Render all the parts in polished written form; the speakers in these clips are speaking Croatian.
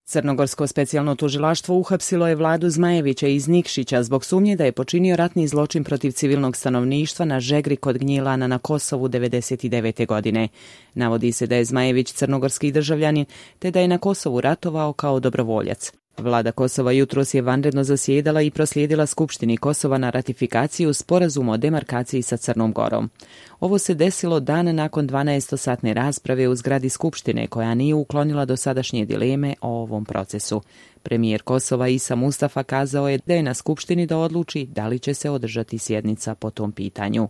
Crnogorsko specijalno tužilaštvo uhapsilo je Vladu Zmajevića iz Nikšića zbog sumnje da je počinio ratni zločin protiv civilnog stanovništva na Žegri kod Gnjilana na Kosovu 1999. godine. Navodi se da je Zmajević crnogorski državljanin te da je na Kosovu ratovao kao dobrovoljac. Vlada Kosova jutros je vanredno zasjedala i proslijedila Skupštini Kosova na ratifikaciju sporazuma o demarkaciji sa Crnom Gorom. Ovo se desilo dan nakon 12-satne rasprave u zgradi Skupštine koja nije uklonila dosadašnje dileme o ovom procesu. Premijer Kosova Isa Mustafa kazao je da je na Skupštini da odluči da li će se održati sjednica po tom pitanju.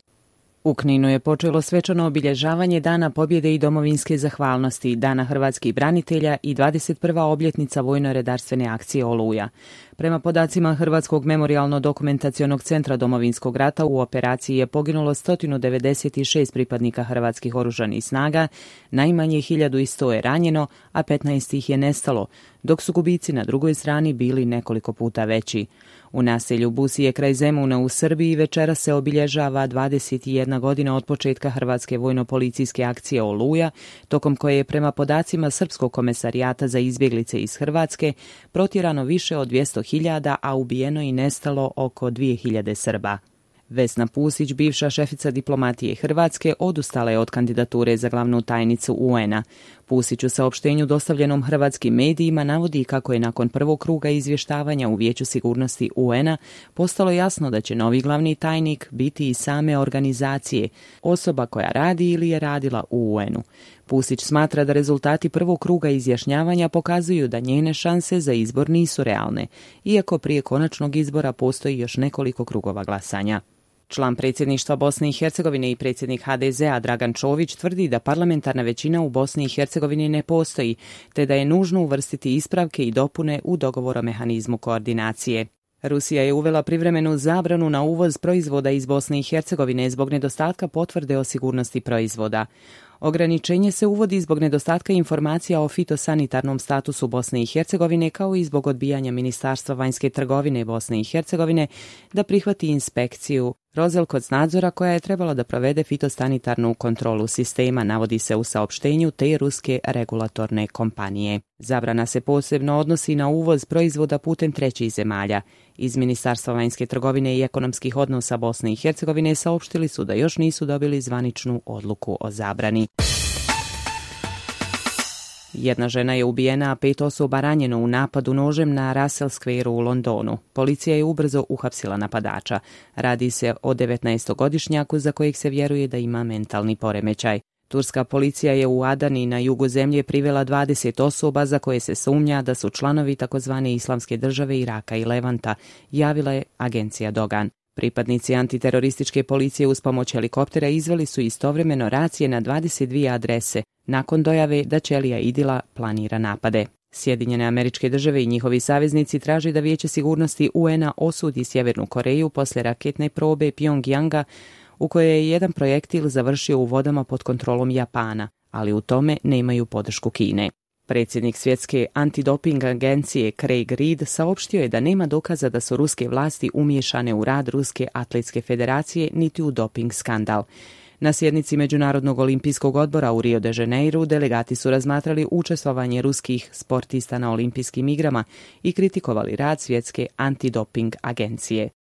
U Kninu je počelo svečano obilježavanje Dana pobjede i domovinske zahvalnosti, Dana hrvatskih branitelja i 21. obljetnica vojno-redarstvene akcije Oluja. Prema podacima Hrvatskog memorijalno-dokumentacionog centra Domovinskog rata u operaciji je poginulo 196 pripadnika hrvatskih oružanih snaga, najmanje 1100 je ranjeno, a 15 ih je nestalo, dok su gubici na drugoj strani bili nekoliko puta veći. U naselju Busije kraj Zemuna u Srbiji večera se obilježava 21 godina od početka Hrvatske vojno-policijske akcije Oluja, tokom koje je prema podacima Srpskog komesarijata za izbjeglice iz Hrvatske protjerano više od 200.000, a ubijeno i nestalo oko 2.000 Srba. Vesna Pusić, bivša šefica diplomatije Hrvatske, odustala je od kandidature za glavnu tajnicu UN-a. Pusić u saopštenju dostavljenom hrvatskim medijima navodi kako je nakon prvog kruga izvještavanja u Vijeću sigurnosti UN-a postalo jasno da će novi glavni tajnik biti i same organizacije, osoba koja radi ili je radila u UN-u. Pusić smatra da rezultati prvog kruga izjašnjavanja pokazuju da njene šanse za izbor nisu realne, iako prije konačnog izbora postoji još nekoliko krugova glasanja. Član predsjedništva Bosne i Hercegovine i predsjednik HDZ-a Dragan Čović tvrdi da parlamentarna većina u Bosni i Hercegovini ne postoji, te da je nužno uvrstiti ispravke i dopune u dogovor o mehanizmu koordinacije. Rusija je uvela privremenu zabranu na uvoz proizvoda iz Bosne i Hercegovine zbog nedostatka potvrde o sigurnosti proizvoda. Ograničenje se uvodi zbog nedostatka informacija o fitosanitarnom statusu Bosne i Hercegovine kao i zbog odbijanja Ministarstva vanjske trgovine Bosne i Hercegovine da prihvati inspekciju Rozelkocnadzora koja je trebala da provede fitosanitarnu kontrolu sistema, navodi se u saopštenju te ruske regulatorne kompanije. Zabrana se posebno odnosi na uvoz proizvoda putem trećih zemalja. Iz Ministarstva vanjske trgovine i ekonomskih odnosa Bosne i Hercegovine saopštili su da još nisu dobili zvaničnu odluku o zabrani. Jedna žena je ubijena, a 5 osoba ranjeno u napadu nožem na Russell Square u Londonu. Policija je ubrzo uhapsila napadača. Radi se o 19-godišnjaku za kojeg se vjeruje da ima mentalni poremećaj. Turska policija je u Adani na jugu zemlje privela 20 osoba za koje se sumnja da su članovi takozvane Islamske države Iraka i Levanta, javila je agencija Dogan. Pripadnici antiterorističke policije uz pomoć helikoptera izveli su istovremeno racije na 22 adrese nakon dojave da ćelija Idila planira napade. Sjedinjene Američke Države i njihovi saveznici traže da Vijeće sigurnosti UN-a osudi Sjevernu Koreju posle raketne probe Pjongjanga u kojoj je jedan projektil završio u vodama pod kontrolom Japana, ali u tome nemaju podršku Kine. Predsjednik Svjetske antidoping agencije Craig Reed saopštio je da nema dokaza da su ruske vlasti umiješane u rad Ruske atletske federacije niti u doping skandal. Na sjednici Međunarodnog olimpijskog odbora u Rio de Janeiru delegati su razmatrali učestvovanje ruskih sportista na olimpijskim igrama i kritikovali rad Svjetske antidoping agencije.